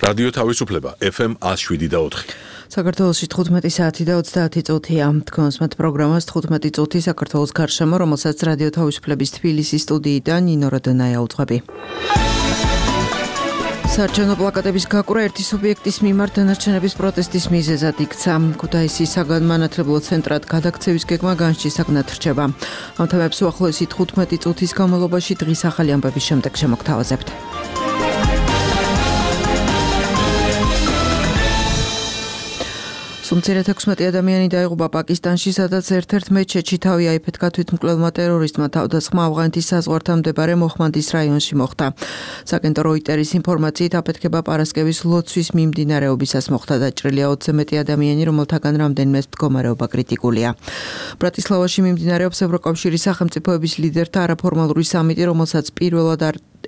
რადიო თავისუფლება FM 107.4. საქართველოში 15 საათი და 30 წუთია. თქვენს მათ პროგრამას 15 წუთი საქართველოს გარშემო, რომელსაც რადიო თავისუფლების თბილისის სტუდიიდან ნინო როდონაია უძღვები. საარჩევნო პლაკატების გაკვრა ერთი სუბიექტის მიმართ დანარჩენების პროტესტის მიზეზად იქცა. ქუთაისის საგანმანათლებლო ცენტრად გადაქცევის გეგმა განშისაგნად რჩება. ამ თემებს უახლოესი 15 წუთის განმავლობაში დღის ახალი ამბების შემდეგ შემოგთავაზებთ. სუმცირად 16 ადამიანი დაიღუპა პაკისტანში, სადაც ერთ-ერთ მეჩეთში თავი აიფეთქა თვითმკვლელმა ტერორისტმა. თავდასხმა ავღანეთის საზღვართან მდებარე მოჰმანდის რაიონში მოხდა. საგენტო როიტერის ინფორმაციით აფეთქება პარასკევის ლოცვის მიმდინარეობისას მოხდა. დაჭრილია 20-ზე მეტი ადამიანი, რომელთაგან რამდენიმეს მდგომარეობა კრიტიკულია. ბრატისლავაში მიმდინარეობს ევროკავშირის სახელმწიფოების ლიდერთა არაფორმალური სამიტი, რომელსაც პირველად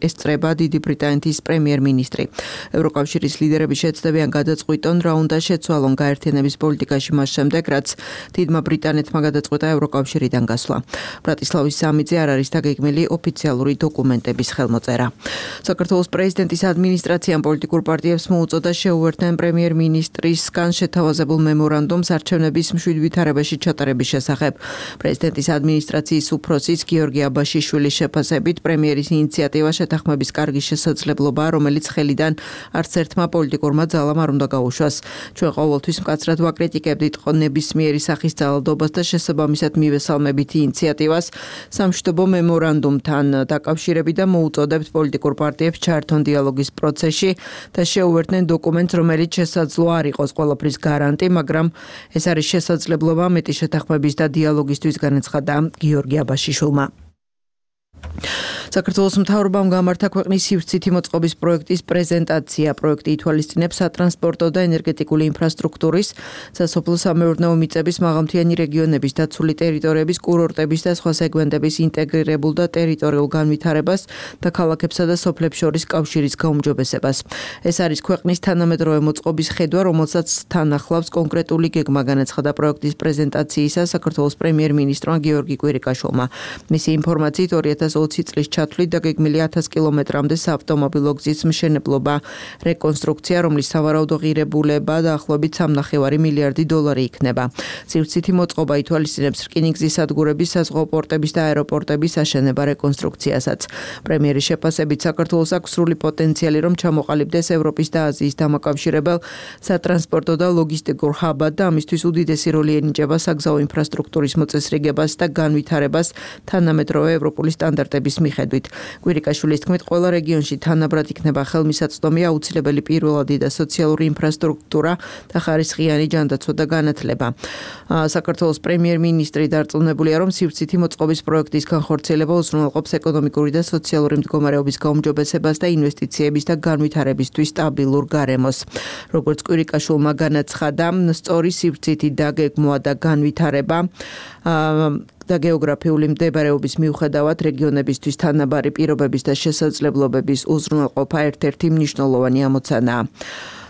ესწრება დიდი ბრიტანეთის პრემიერ-მინისტრი. ევროკავშირის ლიდერები შეცდებიან გადაწყვიტონ რა უნდა შეცვალონ გაერთიანების პოლიტიკაში მას შემდეგ, რაც დიდმა ბრიტანეთმა გადაწყვიტა ევროკავშირიდან გასვლა. ბრატისლავის სამიტზე არ არის დაგეგმილი ოფიციალური დოკუმენტების ხელმოწერა. საქართველოს პრეზიდენტის ადმინისტრაციამ პოლიტიკურ პარტიებს მოუწოდა შეუერთდნენ პრემიერ-მინისტრისგან შეთავაზებულ მემორანდუმს არჩევნების მშვიდ ვითარებაში ჩატარების შესახებ. პრეზიდენტის ადმინისტრაციის უფროსის გიორგი აბაშიშვილის შეფასებით პრემიერის ინიციატივა შეთანხმების კარგი შესაძლებლობა, რომელიც ხელიდან არც ერთმა პოლიტიკურმა ძალამ არ უნდა გაუშვას. ჩვენ ყოველთვის მკაცრად ვაკრიტიკებდით ნებისმიერი სახის ძალადობას და შესაბამისად მივესალმებით ინიციატივას სამშვიდობო მემორანდუმთან დაკავშირებით და მოუწოდებთ პოლიტიკურ პარტიებს ჩაერთონ დიალოგის პროცესში და შეუერთდნენ დოკუმენტს, რომელიც შესაძლოა არ იყოს ყველაფრის გარანტი, მაგრამ ეს არის შესაძლებლობა მეტი შეთანხმების და დიალოგისთვის, განაცხადა გიორგი აბაშიშვილმა. საქართველოს მთავრობამ გამართა ქვეყნის სივრცითი მოწყობის პროექტის პრეზენტაცია. პროექტი ითვალისწინებს სატრანსპორტო და ენერგეტიკული ინფრასტრუქტურის, სასოფლო-სამეურნეო მიწების, მაღალმთიანი რეგიონების, დაცული ტერიტორიების, კურორტების და სხვა სეგმენტების ინტეგრირებულ და ტერიტორიულ განვითარებას და ქალაქებსა და სოფლებს შორის კავშირის გაუმჯობესებას. ეს არის ქვეყნის თანამედროვე მოწყობის ხედვა, რომელსაც თან ახლავს კონკრეტული გეგმა, განაცხადა პროექტის პრეზენტაციისას საქართველოს პრემიერ-მინისტრმა გიორგი კვირიკაშვილმა. მისი ინფორმაციით 2020 წლის ჩათვლით დაგეგმილი 1000 კილომეტრამდე საავტომობილო გზის მშენებლობა, რეკონსტრუქცია, რომლის სავარაუდო ღირებულება დაახლოებით 3,5 მილიარდი დოლარი იქნება. სივრცითი მოწყობა ითვალისწინებს რკინიგზის სადგურების, საზღვაო პორტების და აეროპორტების აშენება რეკონსტრუქციასაც. პრემიერის შეფასებით საქართველოს აქვს სრული პოტენციალი, რომ ჩამოყალიბდეს ევროპის და აზიის დამაკავშირებელ სატრანსპორტო და ლოგისტიკურ ჰაბად და ამისთვის უდიდესი როლი ენიჭება საგზაო ინფრასტრუქტურის მოწესრიგებას და განვითარებას თანამედროვე ევროპული სტანდარტების მიხედვით. კვირიკაშვილის თქმით, ყველა რეგიონში თანაბრად იქნება ხელმისაწვდომი აუცილებელი პირველადი და სოციალური ინფრასტრუქტურა და ხარისხიანი ჯანდაცვა და განათლება. საქართველოს პრემიერ-მინისტრი დარწმუნებულია, რომ სივრცითი მოწყობის პროექტის განხორციელება უზრუნველყოფს ეკონომიკური და სოციალური მდგომარეობის გაუმჯობესებას და ინვესტიციების და განვითარებისთვის სტაბილურ გარემოს. როგორც კვირიკაშვილმა განაცხადა, სწორი სივრცითი დაგეგმვა და განვითარება და გეოგრაფიული მდებარეობის მიუხედავად რეგიონებისთვის თანაბარი პირობების და შესაძლებლობების უზრუნველყოფა ერთ-ერთი მნიშვნელოვანი ამოცანაა.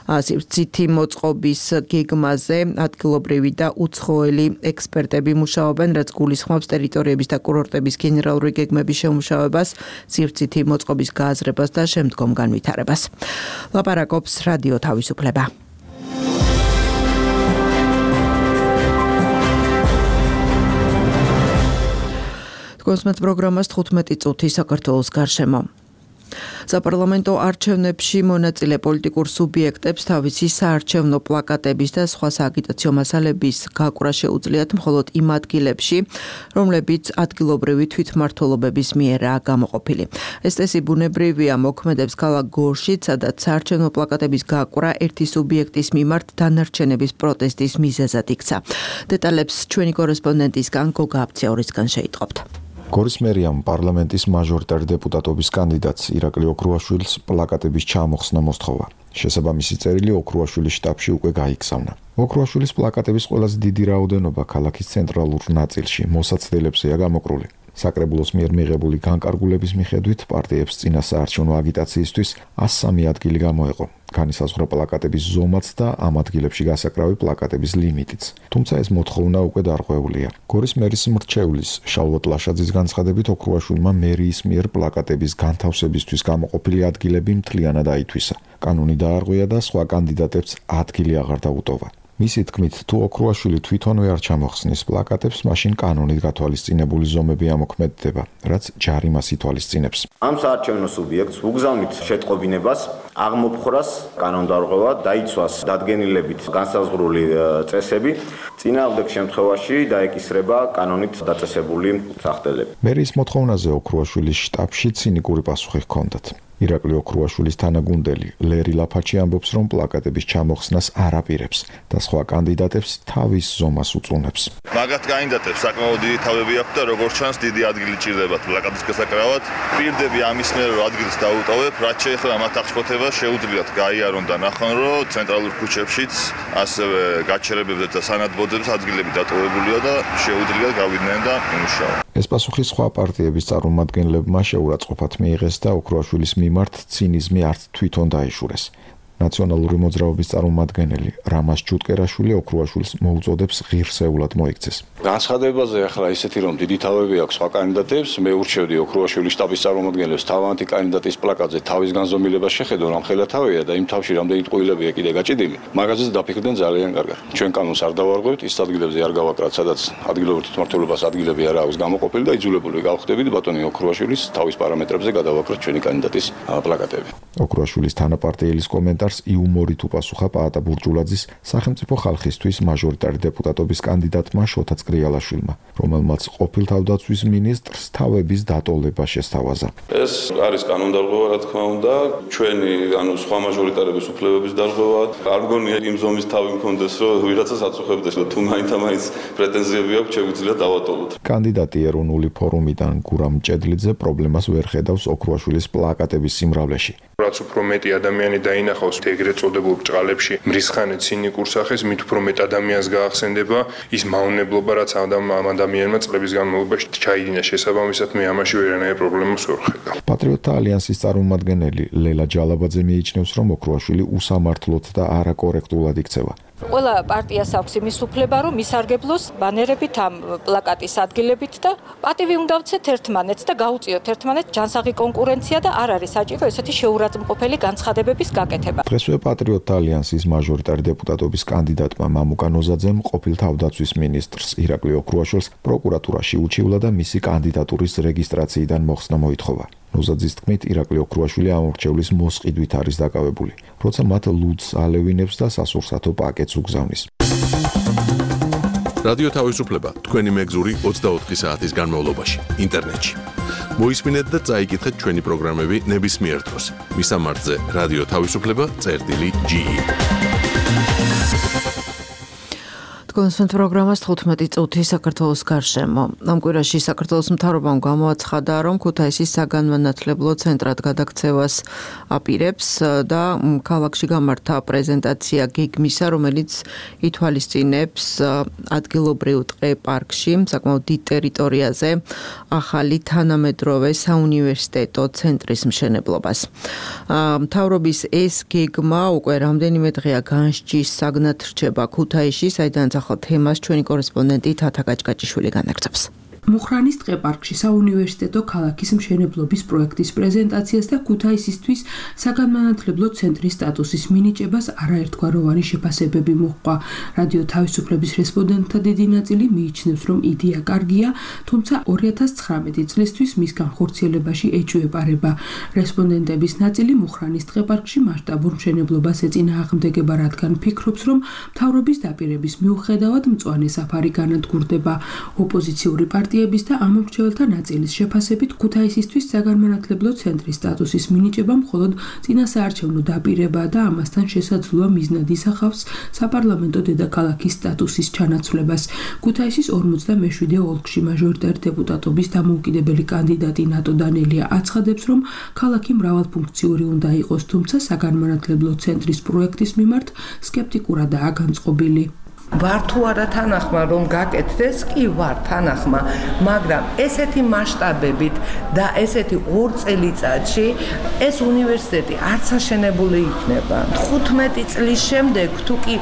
სივრცითი მოწყობის გეგმაზე ადგილობრივი და უცხოელი ექსპერტები მუშაობენ, რაც გულისხმობს ტერიტორიების და კურორტების გენერალური გეგმების შემუშავებას, სივრცითი მოწყობის გააზრებას და შემდგომ განვითარებას. ლაპარაკობს რადიო თავისუფლება. კონსმეთ პროგრამას 15 წუთი საქართველოს გარშემო. საპარლამენტო არჩევნებში მონაწილე პოლიტიკურ სუბიექტებს თავისი საარჩევნო პლაკატების და სხვა სააგიტაციო მასალების გაკვრა შეუძლიათ მხოლოდ იმ ადგილებში, რომლებიც ადგილობრივი თვითმმართველობების მიერაა გამოყოფილი. ეს წესი ბუნებრივია მოქმედებს ქალაქ გორშიც, სადაც საარჩევნო პლაკატების გაკვრა ერთი სუბიექტის მიმართ დანარჩენების პროტესტის მიზეზად იქცა. დეტალებს ჩვენი კორესპონდენტისგან გოგა აბციაურისგან შეიტყობთ. გორის მერიამ პარლამენტის მაჟორიტარ დეპუტატობის კანდიდატს ირაკლი ოქრუაშვილს პლაკატების ჩამოხსნა მოსთხოვა. შესაბამისი წერილი ოქრუაშვილის შტაბში უკვე გაიგზავნა. ოქრუაშვილის პლაკატების ყველაზე დიდი რაოდენობა ქალაქის ცენტრალურ ნაწილში მოსაცდელებზეა გამოკრული. საკრებულოს მიერ მიღებული განკარგულების მიხედვით პარტიებს წინასაარჩევნო აგიტაციისთვის 103 ადგილი გამოეყო. განისაზღვრა პლაკატების ზომაც და ამ ადგილებში გასაკრავი პლაკატების ლიმიტიც. თუმცა ეს მოთხოვნა უკვე დარღვეულია. გორის მერის მრჩევლის შალვა ტლაშაძის განცხადებით ოქრუაშვილმა მერიის მიერ პლაკატების განთავსებისთვის გამოყოფილი ადგილები მთლიანად აითვისა. კანონი დაარღვია და სხვა კანდიდატებს ადგილი აღარ დაუტოვა. მისი თქმით, თუ ოქრუაშვილი თვითონვე არ ჩამოხსნის პლაკატებს, მაშინ კანონით გათვალისწინებული ზომები ამოქმედდება, რაც ჯარიმას ითვალისწინებს. ამ საარჩევნო სუბიექტს უგზავნით შეტყობინებას, აღმოფხვრას, კანონდარღვევა, დაიცვას დადგენილებით განსაზღვრული წესები, წინააღმდეგ შემთხვევაში დაეკისრება კანონით დაწესებული სახდელები. მერის მოთხოვნაზე ოქრუაშვილის შტაბში ცინიკური პასუხი ჰქონდათ. ირაკლი ოქრუაშვილის თანაგუნდელი ლერი ლაფაჩი ამბობს, რომ პლაკატების ჩამოხსნას არ აპირებს და სხვა კანდიდატებს თავის ზომას უწუნებს. მაგათ კანდიდატებს საკმაოდ დიდი თავები აქვთ და როგორც ჩანს დიდი ადგილი ჭირდებათ პლაკატის გასაკრავად. პირდები ამის მიერ რომ ადგილს დაუტოვებ, რაც შეეხება მათ აღშფოთებას შეუძლიათ გაიარონ და ნახონ, რომ ცენტრალურ ქუჩებშიც ასევე გაჩერებებზე და სანადბოდებს ადგილები დატოვებულია და შეუძლიათ გავიდნენ და იმუშაონ. ეს პასუხი სხვა პარტიების წარმომადგენლებმა შეურაცხყოფად მიიღეს და ოქრუაშვილის მიმართ ცინიზმი არც თვითონ დაიშურეს. ნაციონალური მოძრაობის წარმომადგენელი რამაზ ჩუტკერაშვილი ოქრუაშვილს მოუწოდებს ღირსეულად მოიქცეს. განცხადებაზე ახლა ისეთი რომ დიდი თავები აქვს სხვა კანდიდატებს, მე ურჩევდი ოქრუაშვილის შტაბის წარმომადგენლებს თავიანთი კანდიდატის პლაკატზე თავის განზომილებას შეხედონ, რომ ხელა თავია და იმ თავში რამდენი ტყუილებია კიდე გაჭედილი, მაგაზეც დაფიქრდნენ ძალიან კარგად. ჩვენ კანონს არ დავარღვევთ, ის ადგილებზე არ გავაკრათ, სადაც ადგილობრივ თვითმმართველობას ადგილები არ აქვს გამოყოფილი და იძულებული გავხდებით ბატონი ოქრუაშვილის თავის პარამეტრებზე გადავაკროთ ჩვენი კანდიდატის პლაკატები. ოქრუაშვილის თანაპარტიელის კომენტარს იუმორით უპასუხა პაატა ბურჯულაძის სახელმწიფო ხალხისთვის მაჟორიტარი დეპუტატობის კანდიდატმა შოთა წრიალაშვილმა, რომელმაც ყოფილ თავდაცვის მინისტრს თავების დატოვება შესთავაზა. ეს არის კანონდარღვევა, რა თქმა უნდა, ჩვენი სხვა მაჟორიტარების უფლებების დარღვევა. არ მგონია იმ ზომის თავი მქონდეს, რომ ვიღაცას აწუხებდეს და თუ მაინც პრეტენზიები აქვს, შეგვიძლია დავატოვოთ. კანდიდატი ეროვნული ფორუმიდან გურამ ჭედლიძე პრობლემას ვერ ხედავს ოქრუაშვილის პლაკატების სიმრავლეში. რაც უფრო მეტი ადამიანი დაინახავს ეგრეთ წოდებულ ბრჭყალებში მრისხანე ცინიკურ სახეს, მით უფრო მეტ ადამიანს გაახსენდება ის მავნებლობა, რაც ამ ადამიანმა წლების განმავლობაში ჩაიდინა. შესაბამისად, მე ამაში ვერანაირ პრობლემას ვერ ხედავ. პატრიოტთა ალიანსის წარმომადგენელი ლელა ჯალაბაძე მიიჩნევს, რომ ოქრუაშვილი უსამართლოდ და არაკორექტულად იქცევა. ყველა პარტიას აქვს იმის უფლება, რომ ისარგებლოს ბანერებით ამ პლაკატის ადგილებით და პატივი უნდა ვცეთ ერთმანეთს და გაუწიოთ ერთმანეთს ჯანსაღი კონკურენცია და არ არის საჭირო ესეთი შეურაცხმყოფელი განცხადებების გაკეთება. დღესვე პატრიოტთა ალიანსის მაჟორიტარი დეპუტატობის კანდიდატმა მამუკა ნოზაძემ ყოფილ თავდაცვის მინისტრს ირაკლი ოქრუაშვილს პროკურატურაში უჩივლა და მისი კანდიდატურის რეგისტრაციიდან მოხსნა მოითხოვა. ნოზაძის თქმით, ირაკლი ოქრუაშვილი ამ მრჩევლის მოსყიდვით არის დაკავებული, როცა მათ ლუდს ალევინებს და სასურსათო პაკეტს უგზავნის. რადიო თავისუფლება თქვენი მეგზური 24 საათის განმავლობაში ინტერნეტში. მოისმინეთ და წაიკითხეთ ჩვენი პროგრამები ნებისმიერ დროს. მისამართზე რადიო თავისუფლება.ge კონსვენთ პროგრამას 15 წუთი საქართველოს გარშემო. ამ კვირაში საქართველოს მთავრობამ გამოაცხადა, რომ ქუთაისის საგანმანათლებლო ცენტრად გადაქცევას აპირებს და ქალაქში გამართა პრეზენტაცია გეგმისა, რომელიც ითვალისწინებს ადგილობრივ ტყე პარკში, საკმაოდ დიდ ტერიტორიაზე ახალი თანამედროვე საუნივერსიტეტო ცენტრის მშენებლობას. მთავრობის ეს გეგმა უკვე რამდენიმე დღეა განსჯის საგნად რჩება ქუთაისში, საიდანაც თემას ჩვენი კორესპონდენტი თათა გაჭგაჭიშვილი განაგრძობს. მუხრანის ტყეპარკში საუნივერსიტეტო ქალაქის მშენებლობის პროექტის პრეზენტაციას და ქუთაისისთვის საგანმანათლებლო ცენტრის სტატუსის მინიჭებას არაერთგვაროვანი შეფასებები მოჰყვა. რადიო თავისუფლების რესპონდენტთა დიდი ნაწილი მიიჩნევს, რომ იდეა კარგია, თუმცა 2019 წლისთვის მის განხორციელებაში ეჭვეპარება. რესპონდენტების ნაწილი მუხრანის ტყეპარკში მასშტაბურ მშენებლობას ეწინააღმდეგება, რადგან ფიქრობს, რომ მთავრობის დაპირების მიუხედავად მწვანე საფარი განადგურდება. ოპოზიციური პარტია და ამ მრჩეველთა ნაწილის შეფასებით ქუთაისისთვის საგანმანათლებლო ცენტრის სტატუსის მინიჭება მხოლოდ წინასაარჩევნო დაპირება და ამასთან შესაძლოა მიზნად ისახავს საპარლამენტო დედაქალაქის სტატუსის ჩანაცვლებას. ქუთაისის 47 ოლქში მაჟორიტარი დეპუტატობის დამოუკიდებელი კანდიდატი ნატო დანელია აცხადებს, რომ ქალაქი მრავალფუნქციური უნდა იყოს, თუმცა საგანმანათლებლო ცენტრის პროექტის მიმართ სკეპტიკურადაა განწყობილი. ვარ თუ არა თანახმა რომ გაკეთდეს, კი ვარ თანახმა, მაგრამ ესეთი მასშტაბებით და ესეთი 2 წელიწადში ეს უნივერსიტეტი არც აშენებული იქნება. 15 წლის შემდეგ თუ კი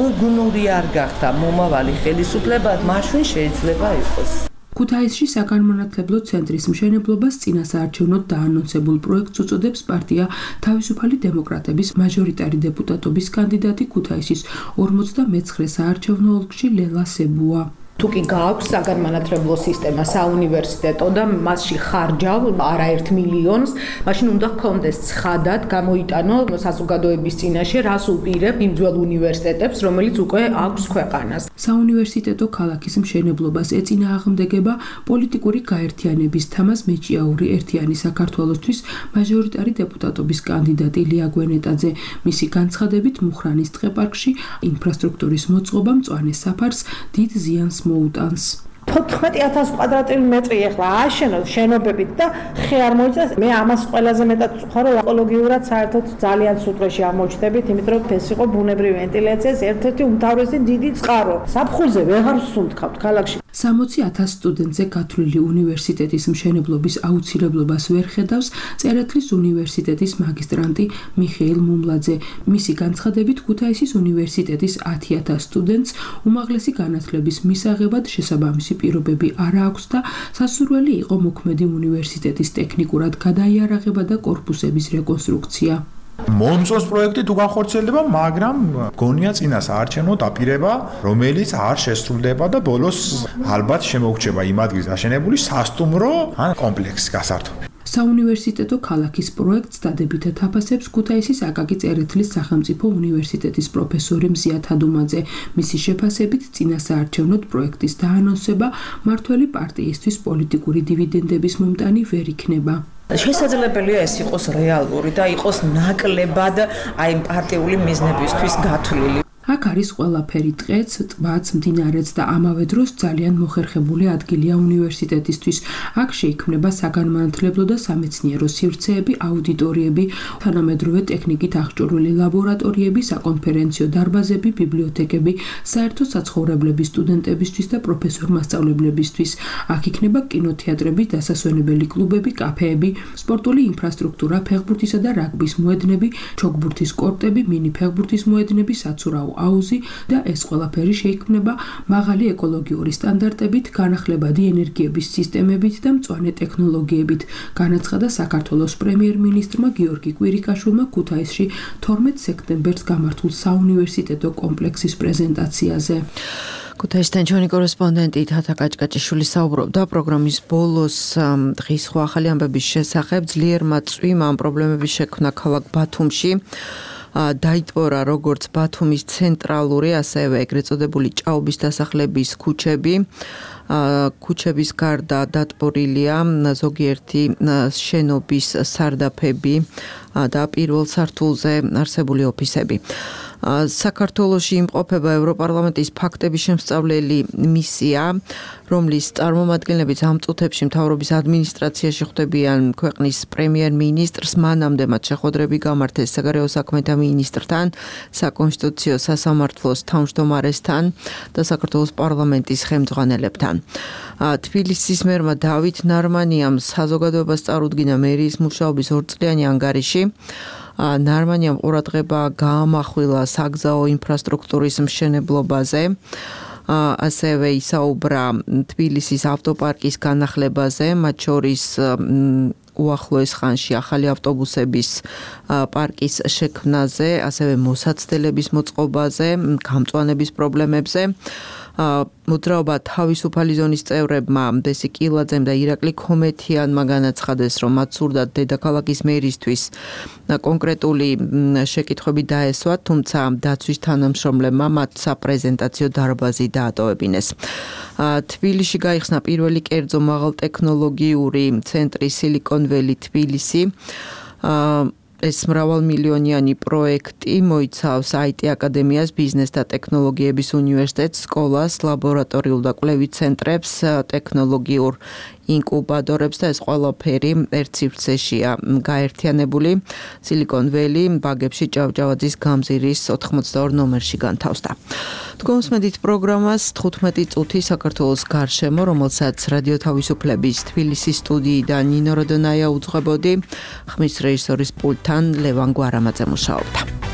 უგნური არ გახდა მომავალი ხელისუფლება, მაშინ შეიძლება იყოს. ქუთაისში საგანმანათლებლო ცენტრის მშენებლობას წინასაარჩევნოდ დაანონსებულ პროექტს უწოდებს პარტია თავისუფალი დემოკრატების მაჟორიტარი დეპუტატობის კანდიდატი ქუთაისის 49 საარჩევნო ოლქში ლელა სებუა. თუ კი გააქვს საგანმანათლებლო სისტემა საუნივერსიტეტო და მასში ხარჯავ არაერთ მილიონს, მაშინ უნდა გქონდეს ცხადად გამოიტანო საზოგადოების წინაშე, რას უპირებ იმ ძველ უნივერსიტეტებს, რომელიც უკვე აქვს ქვეყანას. საუნივერსიტეტო ქალაქის მშენებლობას ეწინააღმდეგება პოლიტიკური გაერთიანების თამაზ მეჭიაური ერთიანი საქართველოსთვის მაჟორიტარი დეპუტატობის კანდიდატი ლია გვენეტაძე. მისი განცხადებით მუხრანის ტყეპარკში ინფრასტრუქტურის მოწყობა მწვანე საფარს დიდ ზიანს მოუტანს. 14,000 კვადრატული მეტრი ახლა ააშენოს შენობებით და ხე არ მოიწეს. მე ამას ყველაზე მეტად ვწუხარ, რომ ეკოლოგიურად საერთოდ ძალიან სუტრეში ამოჩნდებით, იმიტომ რომ ეს იყო ბუნებრივი ვენტილაციის ერთ-ერთი უმთავრესი დიდი წყარო. საფხულზე ვეღარ ვსუნთქავთ ქალაქში. 60,000 სტუდენტზე გათვლილი უნივერსიტეტის მშენებლობის აუცილებლობას ვერ ხედავს წერეთლის უნივერსიტეტის მაგისტრანტი მიხეილ მუმლაძე. მისი განცხადებით ქუთაისის უნივერსიტეტის 10,000 სტუდენტს უმაღლესი განათლების მისაღებად შესაბამისი პირობები არ აქვს და სასურველი იყო მოქმედი უნივერსიტეტის ტექნიკურად გადაიარაღება და კორპუსების რეკონსტრუქცია. მომწონს პროექტი თუ განხორციელდება, მაგრამ გონია წინასაარჩევნო დაპირება, რომელიც არ შესრულდება და ბოლოს ალბათ შემოგვჭება იმ ადგილს აშენებული სასტუმრო ან კომპლექსი გასართობი. საუნივერსიტეტო ქალაქის პროექტს დადებითად აფასებს ქუთაისის აკაკი წერეთლის სახელმწიფო უნივერსიტეტის პროფესორი მზია თადუმაძე. მისი შეფასებით წინასაარჩევნოდ პროექტის დაანონსება მართველი პარტიისთვის პოლიტიკური დივიდენდების მომტანი ვერ იქნება. შესაძლებელია ეს იყოს რეალური და იყოს ნაკლებად აი პარტიული მიზნებისთვის გათვლილი. აქ არის ყველაფერი ტყეც, ტბაც, მდინარეც და ამავე დროს ძალიან მოხერხებული ადგილია უნივერსიტეტისთვის. აქ შეიქმნება საგანმანათლებლო და სამეცნიერო სივრცეები, აუდიტორიები, თანამედროვე ტექნიკით აღჭურვილი ლაბორატორიები, საკონფერენციო დარბაზები, ბიბლიოთეკები, საერთო საცხოვრებლები სტუდენტებისთვის და პროფესორ-მასწავლებლებისთვის. აქ იქნება კინოთეატრები, დასასვენებელი კლუბები, კაფეები, სპორტული ინფრასტრუქტურა, ფეხბურთისა და რაგბის მოედნები, ჩოგბურთის კორტები, მინი ფეხბურთის მოედნები, საცურაო აუზი და ეს ყველაფერი შეიქმნება მაღალი ეკოლოგიური სტანდარტებით, განახლებადი ენერგიების სისტემებით და მწვანე ტექნოლოგიებით, განაცხადა საქართველოს პრემიერ-მინისტრმა გიორგი კვირიკაშვილმა ქუთაისში 12 სექტემბერს გამართულ საუნივერსიტეტო კომპლექსის პრეზენტაციაზე. ქუთაისთან ჩვენი კორესპონდენტი თათა კაჭკაჭიშვილი საუბრობდა პროგრამის ბოლოს დღის სხვა ახალი ამბების შესახებ. ძლიერმა წვიმამ ამ პრობლემების შექმნა ქალაქ ბათუმში. დაიტბორა როგორც ბათუმის ცენტრალური, ასევე ეგრეთ წოდებული ჭაობის დასახლების ქუჩები. ქუჩების გარდა დატბორილია ზოგიერთი შენობის სარდაფები და პირველ სართულზე არსებული ოფისები. საქართველოში იმყოფება ევროპარლამენტის ფაქტების შემსწავლელი მისია, რომლის წარმომადგენლებიც ამ წუთებში მთავრობის ადმინისტრაციაში ხვდებიან ქვეყნის პრემიერ-მინისტრს, მანამდე მათ შეხვედრები გამართეს საგარეო საქმეთა მინისტრთან, საკონსტიტუციო სასამართლოს თავმჯდომარესთან და საქართველოს პარლამენტის ხელმძღვანელებთან. თბილისის მერმა დავით ნარმანიამ საზოგადოებას წარუდგინა მერიის მუშაობის 2 წლიანი ანგარიში. ნარმანიამ ყურადღება გაამახვილა საგზაო ინფრასტრუქტურის მშენებლობაზე. ასევე ისაუბრა თბილისის ავტოპარკის განახლებაზე, მათ შორის უახლოეს ხანში ახალი ავტობუსების პარკის შექმნაზე, ასევე მოსაცდელების მოწყობაზე, გამწვანების პრობლემებზე. მოძრაობა თავისუფალი ზონის წევრებმა დესი კილაძემ და ირაკლი ქომეთიანმა განაცხადეს, რომ მათ სურდათ დედაქალაქის მერისთვის კონკრეტული შეკითხვები დაესვათ, თუმცა დაცვის თანამშრომლებმა მათ საპრეზენტაციო დარბაზი დაატოვებინეს. თბილისში გაიხსნა პირველი კერძო მაღალტექნოლოგიური ცენტრი Silicon Valley თბილისი. ეს მრავალმილიონიანი პროექტი მოიცავს IT აკადემიას, ბიზნეს და ტექნოლოგიების უნივერსიტეტს, სკოლას, ლაბორატორიულ და კვლევით ცენტრებს, ტექნოლოგიურ ინკუბატორებს და ეს ყველაფერი ერთ სივრცეშია გაერთიანებული. Silicon Valley ბაგებში ჭავჭავაძის გამზირის 82 ნომერში განთავსდა. Თქვენს პროგრამას 15 წუთი საქართველოს გარშემო, რომელსაც რადიო თავისუფლების თბილისის სტუდიიდან ნინო როდონაია უძღვებოდი, ხმის რეჟისორის პულტთან ლევან გვარამაძე მუშაობდა.